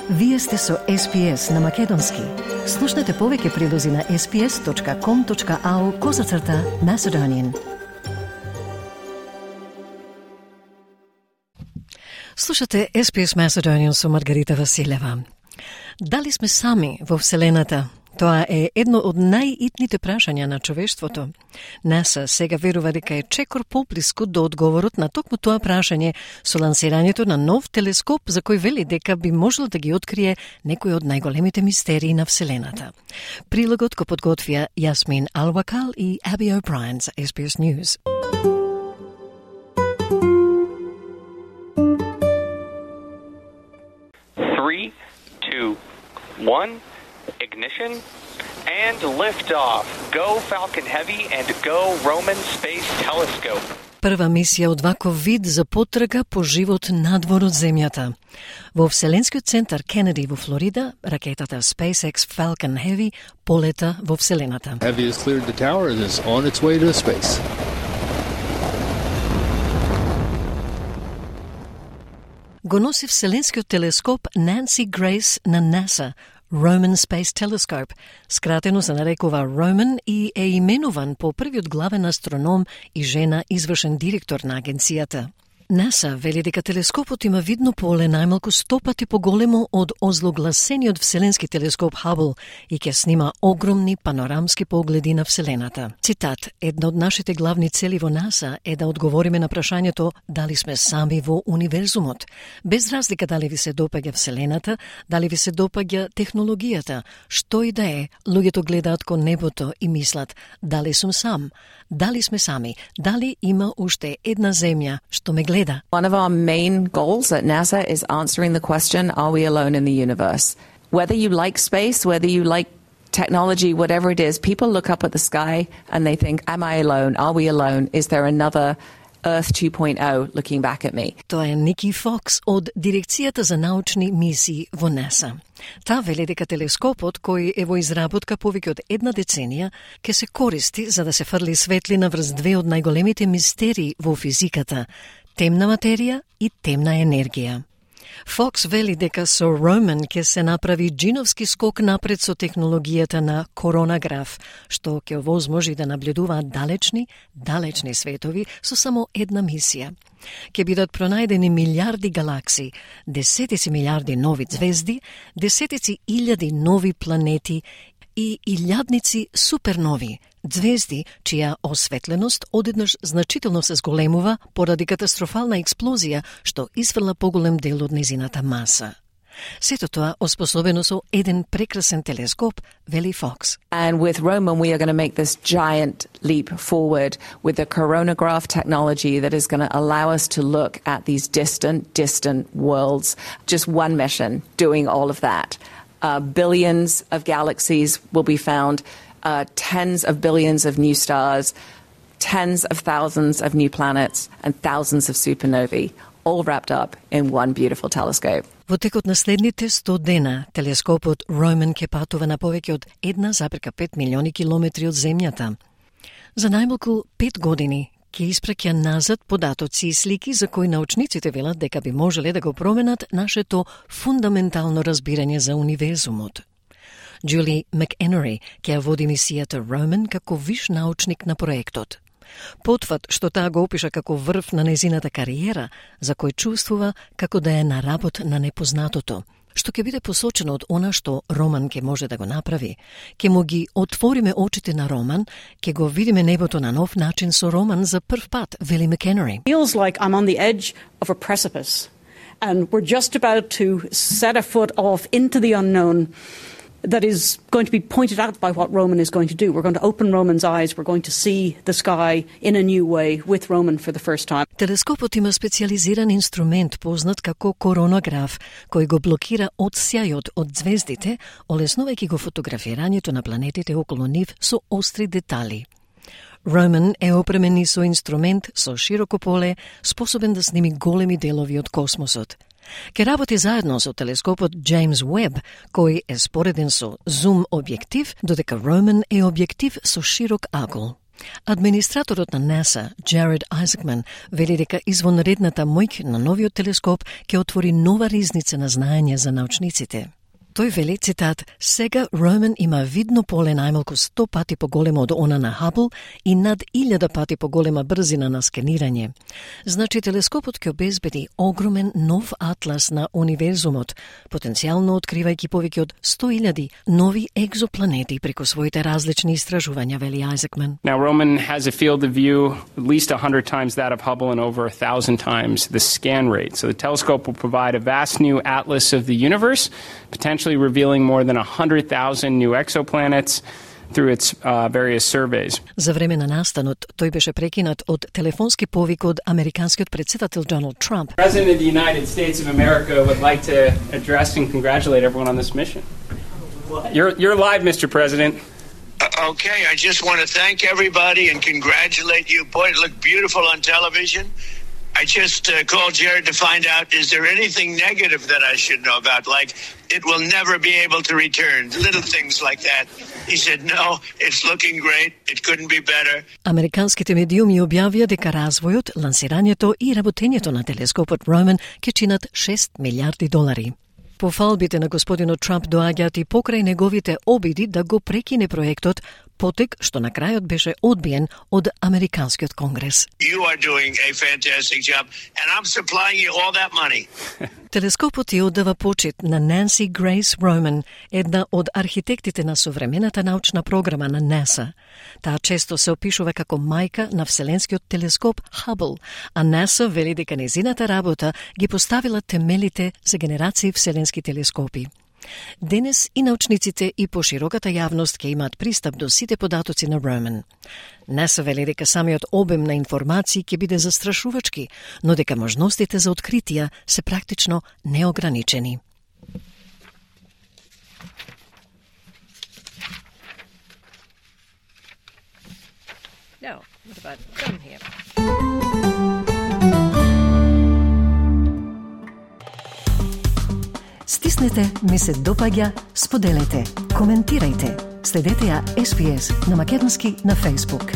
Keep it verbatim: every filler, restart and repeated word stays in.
Вие сте со Ес Би Ес на Македонски. Слушнете повеќе прилози на ес би ес точка ком точка ау козацрта Macedonian. Слушате Ес Би Ес Macedonian со Маргарита Василева. Дали сме сами во Вселената? Тоа е едно од најитните прашања на човештвото. НАСА сега верува дека е чекор поблиску до одговорот на токму тоа прашање со лансирањето на нов телескоп за кој вели дека би можел да ги открие некои од најголемите мистерии на Вселената. Прилогот го подготвија Јасмин Алвакал и Аби О'Брајен за Ес Би Ес News. Three, two, one. Ignition and liftoff. Go Falcon Heavy and go Roman Space Telescope. Прва мисија од ваков вид за потрага по живот надвор од Земјата. Во Вселенскиот центар Кенеди во Флорида, ракетата SpaceX Falcon Heavy полета во Вселената. Heavy has cleared the tower and is on its way to space. Го носи Вселенскиот телескоп Nancy Grace на НАСА, Roman Space Telescope, скратено се нарекува Roman и е именуван по првиот главен астроном и жена извршен директор на агенцијата. НАСА вели дека телескопот има видно поле најмалку сто пати поголемо од озлогласениот вселенски телескоп Хабл и ќе снима огромни панорамски погледи на Вселената. Цитат: една од нашите главни цели во НАСА е да одговориме на прашањето дали сме сами во универзумот. Без разлика дали ви се допаѓа Вселената, дали ви се допаѓа технологијата, што и да е, луѓето гледаат кон небото и мислат дали сум сам, дали сме сами, дали има уште една земја што ме гледа. One of our main goals at NASA is answering the question, are we alone in the universe? Whether you like space, whether you like technology, whatever it is, people look up at the sky and they think, am I alone? Are we alone? Is there another Earth two point oh looking back at me? Тоа е Ники Фокс од Дирекцијата за научни мисии во НАСА. Таа вели дека телескопот, кој е во изработка повеќе од една деценија, ќе се користи за да се фрли светлина врз две од најголемите мистерии во физиката – темна материја и темна енергија. Фокс вели дека со Roman ќе се направи джиновски скок напред со технологијата на коронаграф, што ќе овозможи да наблюдуваат далечни, далечни светови со само една мисија. Ќе бидат пронајдени милиарди галакси, десетици милиарди нови звезди, десетици илјади нови планети и илјадници супернови, звезди чија осветленост одеднаш значително се зголемува поради катастрофална експлозија што изфрла поголем дел од незината маса. Сето тоа оспособено со еден прекрасен телескоп, вели Фокс. And with Roman we are going to make this giant leap forward with the coronagraph technology that is going to allow us to look at these distant, distant worlds. Just one mission doing all of that. Uh, billions of galaxies will be found, uh, tens of billions of new stars, tens of thousands of new planets, and thousands of supernovae, all wrapped up in one beautiful telescope. Во текот на следните сто дена, телескопот Roman ќе патува на повеќе од една запирка пет милиони километри од Земјата. За најмалку пет години ќе испраќа назад податоци и слики за кои научниците велат дека би можеле да го променат нашето фундаментално разбирање за универзумот. Джули МакЕнери ќе води мисијата Roman како виш научник на проектот. Потфат што таа го опиша како врв на незината кариера, за кој чувствува како да е на работ на непознатото, што ќе биде посочено од она што Роман ќе може да го направи. Ќе му ги отвориме очите на Роман, ќе го видиме небото на нов начин со Роман за прв пат, вели МакЕнери. Feels like I'm on the edge of a precipice and we're just about to set a foot off into the unknown that is going to be pointed out by what Roman is going to do. We're going to open Roman's eyes, we're going to see the sky in a new way with Roman for the first time. Телескопот има специализиран инструмент познат како коронаграф, кој го блокира одсјајот од звездите, олеснувајќи го фотографирањето на планетите околу нив со остри детали. Roman е опремен и со инструмент со широко поле, способен да сними големи делови од космосот. Ке работи заедно со телескопот James Webb, кој е спореден со зум објектив, додека Roman е објектив со широк агол. Администраторот на НАСА, Джеред Айзекман, вели дека извонредната моќ на новиот телескоп ќе отвори нова ризница на знаење за научниците. Тој вели, цитат, сега Ромен има видно поле најмалку сто пати поголемо од она на Хабл и над илјада пати поголема брзина на скенирање. Значи, телескопот ќе обезбеди огромен нов атлас на универзумот, потенцијално откривајќи повеќе од сто илјади нови екзопланети преку своите различни истражувања, вели Айзекман. Now, Roman has a field of view at least one hundred times that of Hubble and over one thousand times the scan rate. So the telescope will provide a vast new atlas of the universe, potentially revealing more than one hundred thousand new exoplanets through its uh, various surveys. За време на настанот, тој беше прекинат од телефонски повик од американскиот председател Доналд Трамп. President of the United States of America would like to address and congratulate everyone on this mission. You're, you're live, Mister President. Uh, okay, I just want to thank everybody and congratulate you. Boy, it looked beautiful on television. I just uh, called Jared to find out, is there anything negative that I should know about? Like, it will never be able to return. Little things like that. He said, no, it's looking great. It couldn't be better. Американските медиуми објавија дека развојот, лансирањето и работењето на телескопот Ромен ќе чинат шест милиарди долари. Пофалбите на господинот Трамп доаѓаат и покрај неговите обиди да го прекине проектот, потек што на крајот беше одбиен од Американскиот конгрес. You are doing a fantastic job, and I'm supplying you all that money. Телескопот ја оддава почит на Нанси Грейс Ромен, една од архитектите на современата научна програма на НАСА. Таа често се опишува како мајка на вселенскиот телескоп Хабл, а НАСА вели дека незината работа ги поставила темелите за генерации вселенски телескопи. Денес и научниците и пошироката јавност ќе имаат пристап до сите податоци на Ромен. НАСА вели дека самиот обем на информации ќе биде застрашувачки, но дека можностите за откритија се практично неограничени. Now, what about down here? Стиснете, ми се допаѓа, споделете, коментирајте. Следете ја Ес Би Ес на македонски на Facebook.